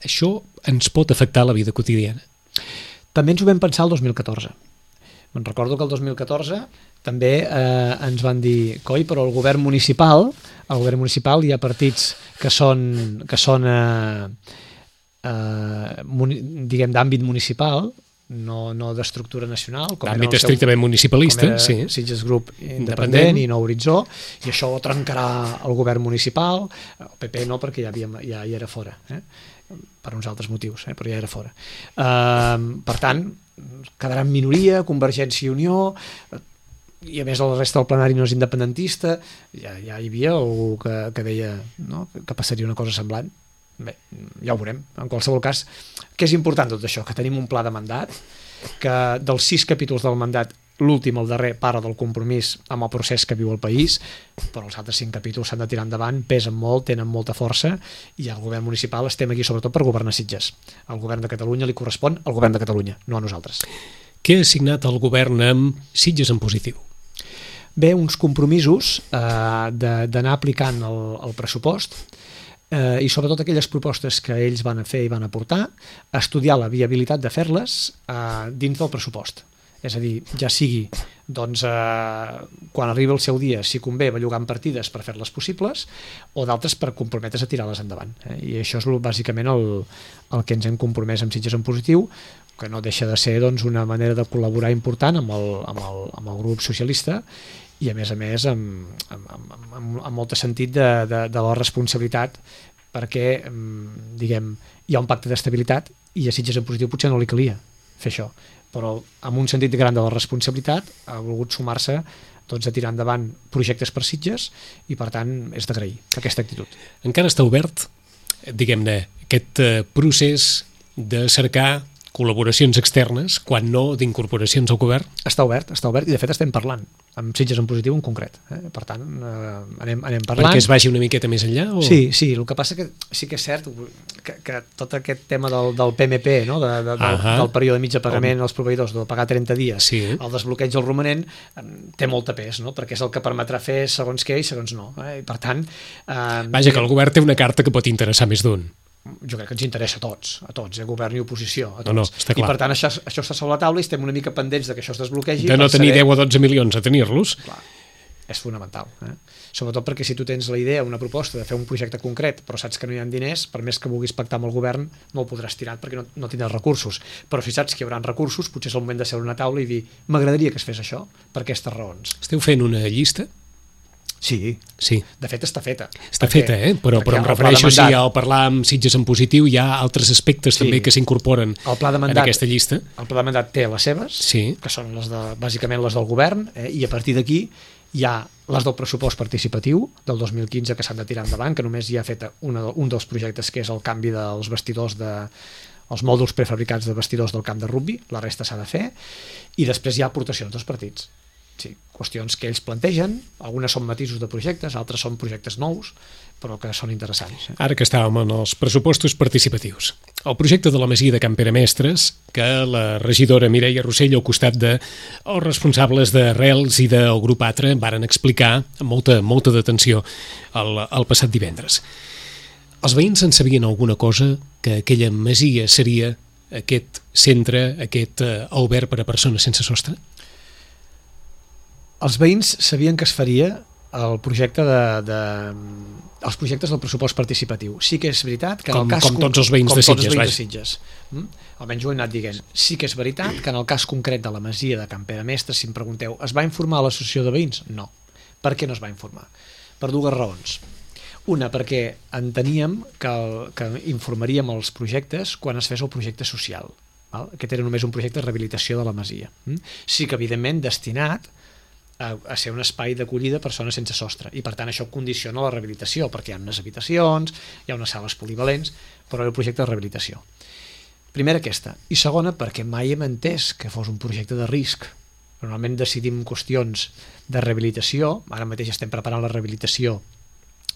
B: això ens pot afectar la vida quotidiana?
C: També ens ho vam pensar el 2014. Me'n recordo que el 2014 també ens van dir: coi, però al govern municipal hi ha partits que són diguem, d'àmbit municipal, no d'estructura nacional,
B: d'àmbit estrictament municipalista, sí.
C: Sitges Grup Independent i No Horitzó, i això trencarà el govern municipal. El PP no, perquè ja era fora, per uns altres motius, però ja era fora. Per tant, quedarà en minoria Convergència i Unió, i a més la resta del plenari no és independentista. Ja hi havia algú que deia, no?, que passaria una cosa semblant. Bé, ja ho veurem. En qualsevol cas, què és important tot això? Que tenim un pla de mandat, que dels 6 capítols del mandat, l'últim, el darrer, parla del compromís amb el procés que viu el país, però els altres 5 capítols s'han de tirar endavant, pesen molt, tenen molta força, i el govern municipal estem aquí sobretot per governar Sitges. Al govern de Catalunya li correspon al govern de Catalunya, no a nosaltres.
B: Què ha signat el govern amb Sitges en positiu?
C: Bé, uns compromisos d'anar aplicant el pressupost, i sobretot aquelles propostes que ells van fer i van aportar, estudiar la viabilitat de fer-les dins del pressupost. És a dir, ja sigui quan arribi el seu dia, si convé, bellugant partides per fer-les possibles, o d'altres per comprometre's a tirar-les endavant. I això és bàsicament el que ens hem compromès amb Sitges en positiu, que no deixa de ser una manera de col·laborar important amb el grup socialista, i a més amb molt sentit de la responsabilitat, perquè diguem, hi ha un pacte d'estabilitat, i a Sitges en positiu potser no li calia fer això, però amb un sentit gran de la responsabilitat ha volgut sumar-se a tirar endavant projectes per Sitges, i per tant és d'agrair aquesta actitud.
B: Encara està obert, diguem-ne, aquest procés de cercar col·laboracions externes, quan no d'incorporacions al govern?
C: Està obert, i de fet estem parlant, amb Sitges en positiu en concret. Per tant, anem parlant.
B: Perquè es vagi una miqueta més enllà? O...
C: Sí, el que passa que sí que és cert que tot aquest tema del PMP, no? Del període mig de pagament als proveïdors, de pagar 30 dies, el desbloqueig del romanent, té molta pes, no? Perquè és el que permetrà fer segons què i segons no. I per tant...
B: Vaja, que el govern té una carta que pot interessar més d'un.
C: Jo crec que ens interessa a tots, govern i oposició, a tots.
B: No, està clar.
C: I per tant això està sobre la taula i estem una mica pendents de que això es desbloquegi.
B: De no tenir 10 o 12 milions a tenir-los.
C: Clar, és fonamental. Sobretot perquè si tu tens la idea, una proposta de fer un projecte concret, però saps que no hi ha diners, per més que vulguis pactar amb el govern, no el podràs tirar perquè no tindràs recursos. Però si saps que hi haurà recursos, potser és el moment de seure a una taula i dir m'agradaria que es fes això, per aquestes raons.
B: Esteu fent una llista?
C: Sí. De fet està feta.
B: Està feta, però em refereixo si al parlar amb Sitges en positiu hi ha altres aspectes també que s'incorporen en aquesta llista.
C: El pla de mandat té les seves, que són bàsicament les del govern, i a partir d'aquí hi ha les del pressupost participatiu del 2015 que s'han de tirar endavant, que només hi ha fet un dels projectes, que és el canvi dels vestidors els mòduls prefabricats de vestidors del camp de rugbi, la resta s'ha de fer, i després hi ha aportacions dels partits. Sí, qüestions que ells plantegen, algunes són matisos de projectes, altres són projectes nous, però que són interessants.
B: Ara que estàvem en els pressupostos participatius, el projecte de la masia de Can Pere Mestres, que la regidora Mireia Rossell, al costat dels responsables d'Arrels i del grup Atra, varen explicar amb molta detenció el passat divendres. Els veïns en sabien alguna cosa, que aquella masia seria aquest centre, aquest alberg per a persones sense sostre?
C: Els veïns sabien que es faria el projecte els projectes del pressupost participatiu. Sí que és veritat que en el cas...
B: Com tots els veïns de Sitges.
C: Almenys ho he anat dient. Sí que és veritat que en el cas concret de la masia de Can Pere Mestres, si em pregunteu, es va informar a l'associació de veïns? No. Per què no es va informar? Per dues raons. Una, perquè enteníem que informaríem els projectes quan es fes el projecte social. Aquest era només un projecte de rehabilitació de la masia. Sí que, evidentment, destinat a ser un espai d'acollida a persones sense sostre, i per tant això condiciona la rehabilitació, perquè hi ha unes habitacions, hi ha unes sales polivalents, però era un projecte de rehabilitació. Primera aquesta, i segona perquè mai hem entès que fos un projecte de risc. Normalment decidim qüestions de rehabilitació, ara mateix estem preparant la rehabilitació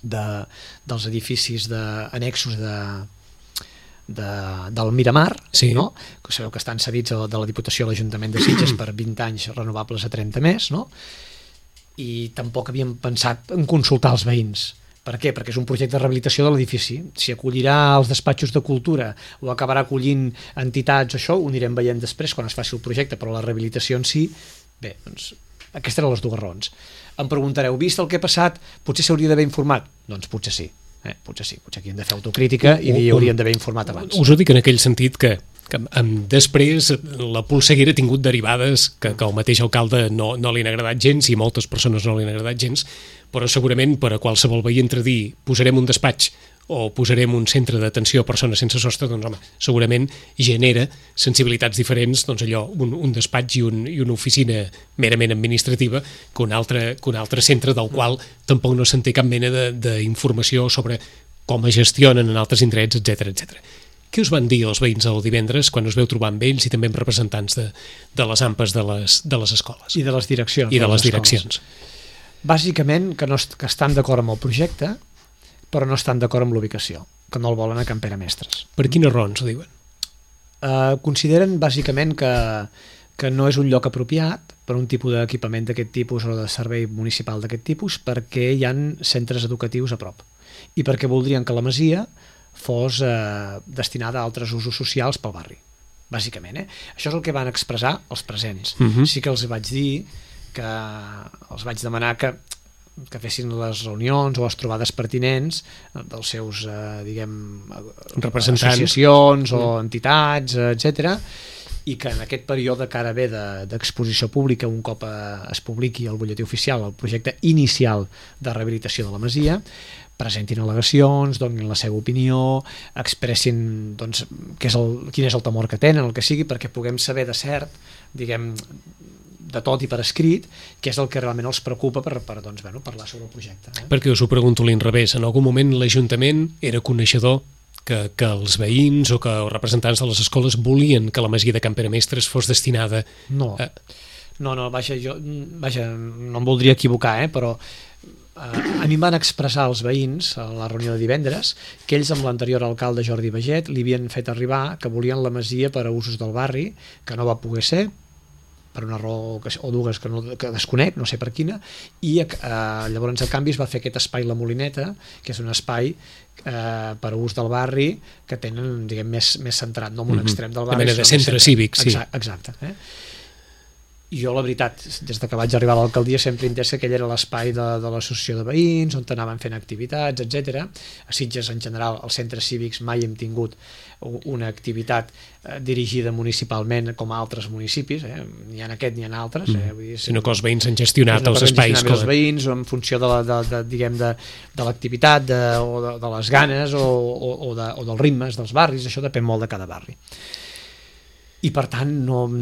C: dels edificis annexos del Miramar, no? Que sabeu que estan cedits de la Diputació a l'Ajuntament de Sitges per 20 anys renovables a 30 més, no? I tampoc havíem pensat en consultar els veïns. Per què? Perquè és un projecte de rehabilitació de l'edifici. Si acollirà els despatxos de cultura o acabarà acollint entitats o això, ho anirem veient després quan es faci el projecte, però la rehabilitació en si, bé, doncs aquestes eren les dues raons. Em preguntareu, vist el que ha passat, potser s'hauria d'haver informat? Doncs potser sí. Potser aquí hem de fer autocrítica i hauríem d'haver informat abans.
B: Us ho dic en aquell sentit que després la polseguera ha tingut derivades que al mateix alcalde no li han agradat gens i moltes persones no li han agradat gens, però segurament per a qualsevol veí entre dir posarem un despatx o posarem un centre d'atenció a persones sense sostre, doncs home, segurament genera sensibilitats diferents, doncs allò, un despatx i una oficina merament administrativa que un altre centre del qual tampoc no se'n té cap mena d'informació sobre com es gestionen en altres indrets, etc. Què us van dir els veïns el divendres quan us veu trobar amb ells i també amb representants de les AMPAs de les escoles?
C: I de les direccions.
B: I de les direccions.
C: Bàsicament que estan d'acord amb el projecte, però no estan d'acord amb l'ubicació, que no el volen a Can Pere Mestres.
B: Per quines raons ho diuen?
C: Consideren bàsicament que no és un lloc apropiat per un tipus d'equipament d'aquest tipus o de servei municipal d'aquest tipus, perquè hi ha centres educatius a prop i perquè voldrien que la masia fos destinada a altres usos socials pel barri, bàsicament. Això és el que van expressar els presents. Sí que els vaig dir que els vaig demanar que fessin les reunions o les trobades pertinents dels seus,
B: representants,
C: associacions o entitats, etc., i que en aquest període que ara ve d'exposició pública, un cop es publiqui al butlletí oficial el projecte inicial de rehabilitació de la masia, presentin al·legacions, donin la seva opinió, expressin quin és el temor que tenen, el que sigui, perquè puguem saber de cert, de tot i per escrit, què és el que realment els preocupa per parlar sobre el projecte.
B: Perquè us ho pregunto a l'inrevés, en algun moment l'Ajuntament era coneixedor que els veïns o que els representants de les escoles volien que la masia de Can Pere Mestres fos destinada...
C: No, vaja, no em voldria equivocar, però a mi em van expressar els veïns a la reunió de divendres que ells amb l'anterior alcalde Jordi Baget li havien fet arribar que volien la masia per a usos del barri, que no va poder ser, per una raó o dues que desconec, no sé per quina, i llavors a canvi es va fer aquest espai La Molineta, que és un espai per a ús del barri que tenen, diguem, més centrat, no en un extrem del barri.
B: De mena de centre cívic, sí.
C: Exacte. I jo, la veritat, des que vaig arribar a l'alcaldia sempre he entès que aquell era l'espai de l'associació de veïns, on anaven fent activitats, etc. A Sitges, en general, als centres cívics mai hem tingut una activitat dirigida municipalment com a altres municipis, ni en aquest ni en altres.
B: Sinó que els veïns han gestionat els espais.
C: Els veïns, en funció de l'activitat, de les ganes o dels ritmes dels barris, això depèn molt de cada barri. I per tant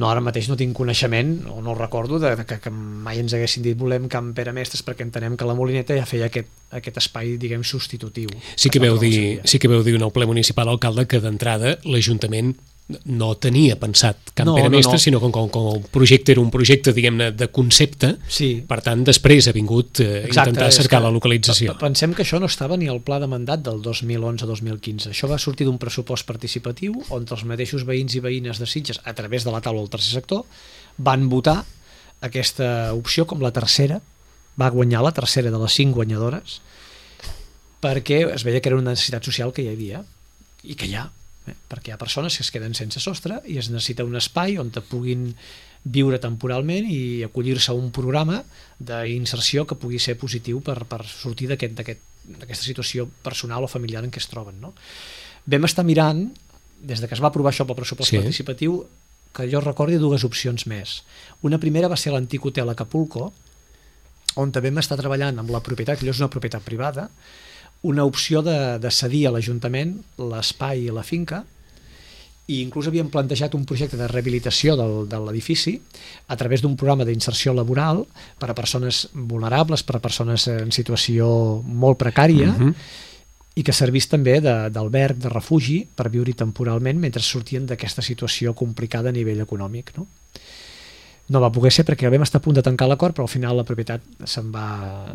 C: ara mateix no tinc coneixement o no recordo que mai ens haguessin dit volem Can Pere Mestres, perquè entenem que la Molineta ja feia aquest espai, diguem, substitutiu.
B: Sí que veu dir en el ple municipal, alcalde, que d'entrada l'Ajuntament no tenia pensat Can Pere Mestres, sinó com el projecte era un projecte, diguem-ne, de concepte, per tant després ha vingut intentar cercar la localització.
C: Pensem que això no estava ni al pla de mandat del 2011-2015. Això va sortir d'un pressupost participatiu on els mateixos veïns i veïnes de Sitges, a través de la taula del tercer sector, van votar aquesta opció com la tercera, va guanyar la tercera de les 5 guanyadores, perquè es veia que era una necessitat social que hi havia i que hi ha, perquè hi ha persones que es queden sense sostre i es necessita un espai on te puguin viure temporalment i acollir-se a un programa d'inserció que pugui ser positiu per sortir d'aquesta situació personal o familiar en què es troben. Vam estar mirant, des que es va aprovar això pel pressupost participatiu, que jo recordi 2 opcions més. Una primera va ser l'antic hotel Acapulco, on també vam estar treballant amb la propietat, que allò és una propietat privada, una opció de cedir a l'Ajuntament l'espai i la finca, i inclús havíem plantejat un projecte de rehabilitació de l'edifici a través d'un programa d'inserció laboral per a persones vulnerables, per a persones en situació molt precària, i que servís també d'alberg, de refugi, per viure temporalment mentre sortien d'aquesta situació complicada a nivell econòmic. No va poder ser perquè vam estar a punt de tancar l'acord, però al final la propietat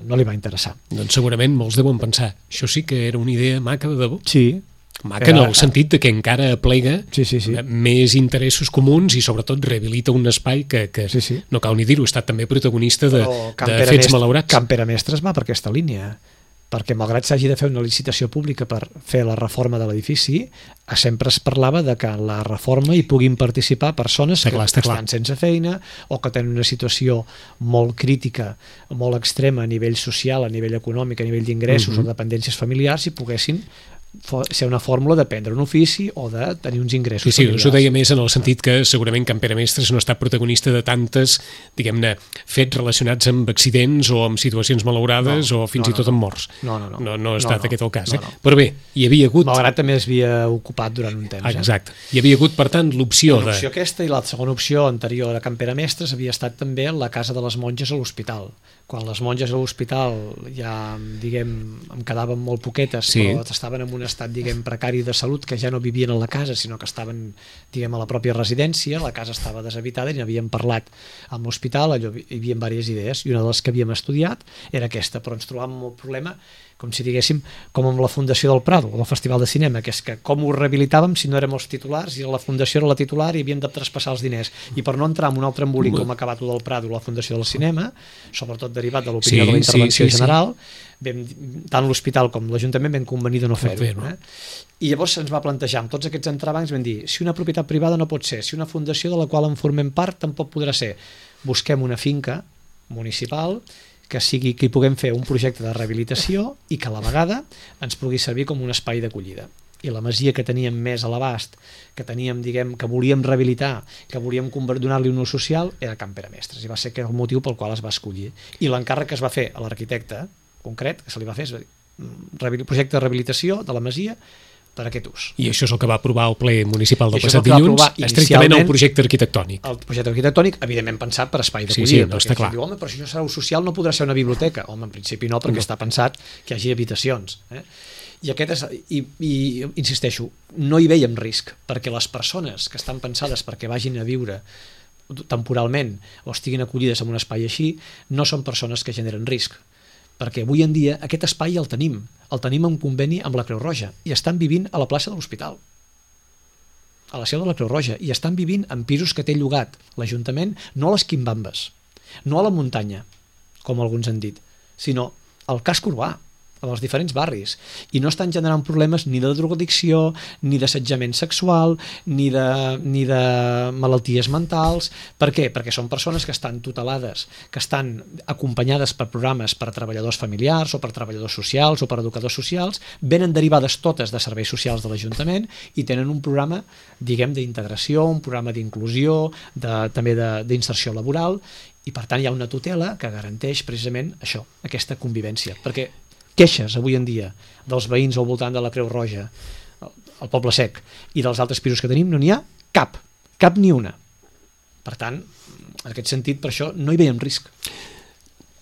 C: no li va interessar.
B: Doncs segurament molts deuen pensar, això sí que era una idea maca de debò.
C: Sí.
B: Maca en el sentit que encara aplega més interessos comuns i sobretot rehabilita un espai que no cal ni dir-ho, ha estat també protagonista de fets malaurats.
C: Can Pere Mestres va per aquesta línia, perquè malgrat s'hagi de fer una licitació pública per fer la reforma de l'edifici, sempre es parlava de que en la reforma hi puguin participar persones que estan sense feina o que tenen una situació molt crítica, molt extrema a nivell social, a nivell econòmic, a nivell d'ingressos o dependències familiars, i poguessin ser una fórmula de prendre un ofici o de tenir uns ingressos familiars.
B: Sí, us ho deia més en el sentit que segurament Can Pere Mestres no ha estat protagonista de tantes, diguem-ne, fets relacionats amb accidents o amb situacions malaurades o fins i tot amb morts. No ha estat aquest el cas. Però bé, hi havia hagut...
C: Malgrat també es havia ocupat durant un temps.
B: Exacte. Hi havia hagut, per tant, l'opció de...
C: L'opció aquesta, i la segona opció anterior a Can Pere Mestres havia estat també la Casa de les Monges a l'Hospital. Quan les monges a l'hospital ja, diguem, em quedaven molt poquetes, però estaven en un estat, diguem, precari de salut, que ja no vivien a la casa, sinó que estaven, diguem, a la pròpia residència, la casa estava deshabitada i n'havíem parlat amb l'hospital, allò hi havia diverses idees, i una de les que havíem estudiat era aquesta, però ens trobàvem amb el problema, com si diguéssim, com amb la Fundació del Prado, o el Festival de Cinema, que és que com ho rehabilitàvem si no érem els titulars, i la Fundació era la titular i havíem de traspassar els diners. I per no entrar en un altre embolic com ha acabat del Prado o la Fundació del Cinema, sobretot derivat de l'opinió de la intervenció general, tant l'hospital com l'Ajuntament vam convenir de no fer-ho. I llavors se'ns va plantejar, amb tots aquests entrebancs, vam dir, si una propietat privada no pot ser, si una fundació de la qual en formem part tampoc podrà ser, busquem una finca municipal que hi puguem fer un projecte de rehabilitació i que a la vegada ens pugui servir com un espai d'acollida. I la masia que teníem més a l'abast, que teníem, diguem, que volíem rehabilitar, que volíem donar-li un ús social, era Can Pere Mestres, i va ser el motiu pel qual es va escollir. I l'encàrrec que es va fer a l'arquitecte concret, que se li va fer, és projecte de rehabilitació de la masia, per a aquest ús.
B: I això és el que va aprovar el ple municipal del
C: I això és
B: passat
C: el que va
B: dilluns,
C: aprovar
B: estrictament el
C: inicialment
B: projecte arquitectònic.
C: El projecte arquitectònic, evidentment pensat per espai
B: Sí,
C: d'acollida,
B: sí, no,
C: perquè
B: està
C: la gent
B: clar.
C: diu, home, però si això serà ús social no podrà ser una biblioteca. Home, en principi no, perquè està pensat que hi hagi habitacions. I aquest és, i insisteixo, no hi veiem risc, perquè les persones que estan pensades perquè vagin a viure temporalment o estiguin acollides en un espai així, no són persones que generen risc, perquè avui en dia aquest espai el tenim en conveni amb la Creu Roja i estan vivint a la plaça de l'Hospital, a la seu de la Creu Roja, i estan vivint en pisos que té llogat l'Ajuntament, no a les quimbambes, no a la muntanya, com alguns han dit, sinó al casc urbà, als diferents barris, i no estan generant problemes ni de drogodicció, ni d'assetjament sexual, ni de malalties mentals. Per què? Perquè són persones que estan tutelades, que estan acompanyades per programes per a treballadors familiars o per treballadors socials o per educadors socials, venen derivades totes de serveis socials de l'Ajuntament i tenen un programa, diguem, d'integració, un programa d'inclusió, també d'inserció laboral, i per tant hi ha una tutela que garanteix precisament això, aquesta convivència, perquè queixes avui en dia dels veïns al voltant de la Creu Roja, al Poble Sec, i dels altres pisos que tenim, no n'hi ha cap ni una. Per tant, en aquest sentit, per això no hi veiem risc.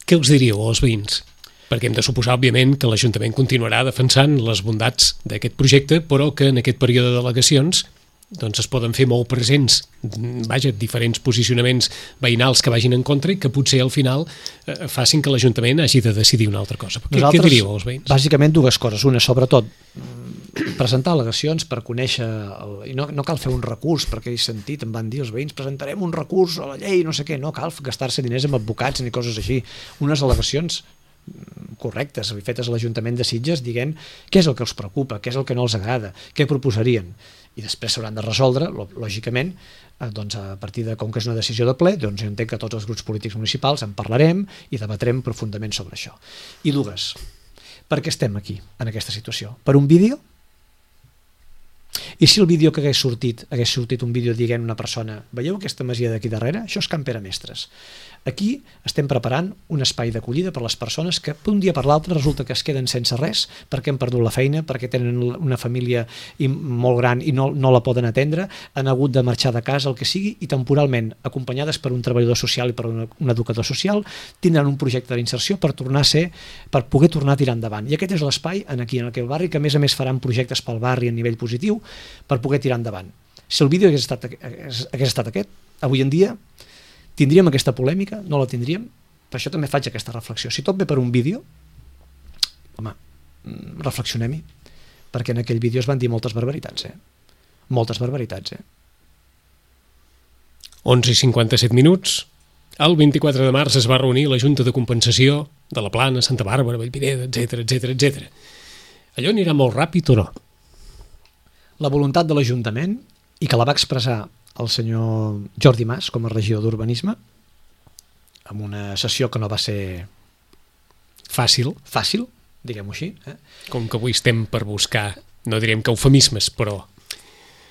B: Què els diríeu als veïns? Perquè hem de suposar, òbviament, que l'Ajuntament continuarà defensant les bondats d'aquest projecte, però que en aquest període de delegacions doncs es poden fer molt presents, diferents posicionaments veïnals que vagin en contra i que potser al final facin que l'Ajuntament hagi de decidir una altra cosa. Què diríeu als veïns?
C: Bàsicament dues coses. Una, sobretot, presentar al·legacions per conèixer, i no cal fer un recurs, perquè he sentit, em van dir els veïns, presentarem un recurs a la llei, no sé què, no cal gastar-se diners amb advocats ni coses així. Unes al·legacions correctes, fetes a l'Ajuntament de Sitges, dient què és el que els preocupa, què és el que no els agrada, què proposarien, i després s'hauran de resoldre, lògicament, doncs a partir de, com que és una decisió de ple, doncs jo entenc que tots els grups polítics municipals en parlarem i debatrem profundament sobre això. I dues, per què estem aquí, en aquesta situació? Per un vídeo? I si el vídeo que hagués sortit un vídeo dient una persona, veieu aquesta masia d'aquí darrere? Això és Can Pere Mestres. Aquí estem preparant un espai d'acollida per a les persones que d'un dia per l'altre resulta que es queden sense res perquè han perdut la feina, perquè tenen una família molt gran i no la poden atendre, han hagut de marxar de casa, el que sigui, i temporalment, acompanyades per un treballador social i per un educador social, tindran un projecte d'inserció per poder tornar a tirar endavant. I aquest és l'espai aquí en aquell barri que a més faran projectes pel barri a nivell positiu per poder tirar endavant. Si el vídeo hagués estat aquest, avui en dia tindríem aquesta polèmica? No la tindríem? Per això també faig aquesta reflexió. Si tot ve per un vídeo, home, reflexionem-hi, perquè en aquell vídeo es van dir moltes barbaritats, Moltes barbaritats,
B: 11:57 minuts. El 24 de març es va reunir la Junta de Compensació de la Plana, Santa Bàrbara, Vallvidrera, etc. Allò anirà molt ràpid o no?
C: La voluntat de l'Ajuntament, i que la va expressar el senyor Jordi Mas com a regidor d'Urbanisme, amb una sessió que no va ser
B: fàcil,
C: diguem-ho així.
B: Com que avui estem per buscar, no direm que eufemismes, però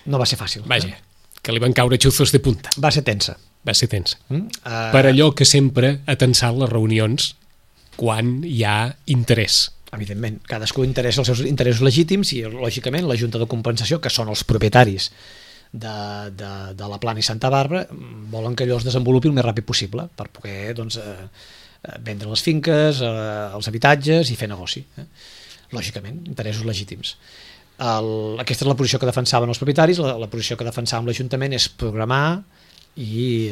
C: no va ser fàcil.
B: Vaja, que li van caure xuzos de punta.
C: Va ser tensa.
B: Per allò que sempre ha tensat les reunions quan hi ha interès.
C: Evidentment, cadascú interessa els seus interessos legítims i, lògicament, la Junta de Compensació, que són els propietaris de la Plana i Santa Bàrbara, volen que allò es desenvolupi el més ràpid possible per poder vendre les finques, els habitatges i fer negoci. Lògicament, interessos legítims. Aquesta és la posició que defensaven els propietaris. La posició que defensàvem l'Ajuntament és programar i,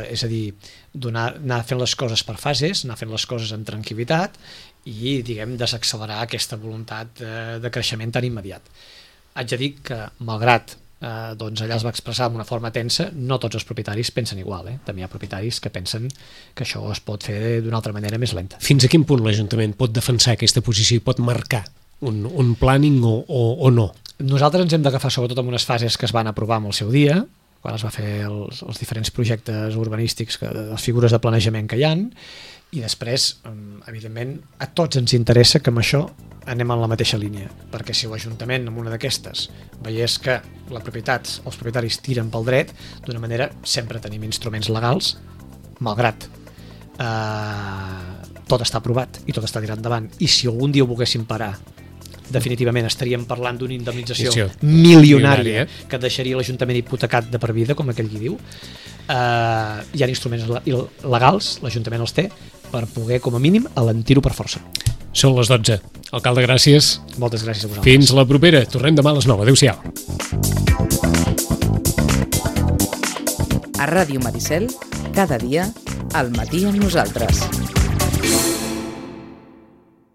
C: és a dir, anar fent les coses per fases, anar fent les coses amb tranquil·litat i, diguem, desaccelerar aquesta voluntat de creixement tan immediat. Haig de dir que, malgrat doncs allà es va expressar d'una forma tensa, no tots els propietaris pensen igual, també hi ha propietaris que pensen que això es pot fer d'una altra manera més lenta.
B: Fins a quin punt l'Ajuntament pot defensar aquesta posició i pot marcar un planning o no?
C: Nosaltres ens hem d'agafar sobretot en unes fases que es van aprovar en el seu dia, quan es va fer els diferents projectes urbanístics, les figures de planejament que hi ha, i després, evidentment, a tots ens interessa que amb això anem en la mateixa línia, perquè si l'Ajuntament en una d'aquestes veiés que els propietaris tiren pel dret, d'una manera sempre tenim instruments legals, malgrat tot està aprovat i tot està tirat endavant, i si algun dia ho volguéssim parar definitivament estaríem parlant d'una indemnització
B: Sí,
C: milionària que deixaria l'Ajuntament hipotecat de per vida, com aquell qui diu. Hi ha instruments legals, l'Ajuntament els té, per poder, com a mínim, alentir-ho per força.
B: Són les 12. Alcalde, gràcies.
C: Moltes gràcies a vosaltres.
B: Fins la propera. Tornem demà a les 9. Adéu-siau.
A: A Ràdio Maricel, cada dia, al matí amb nosaltres.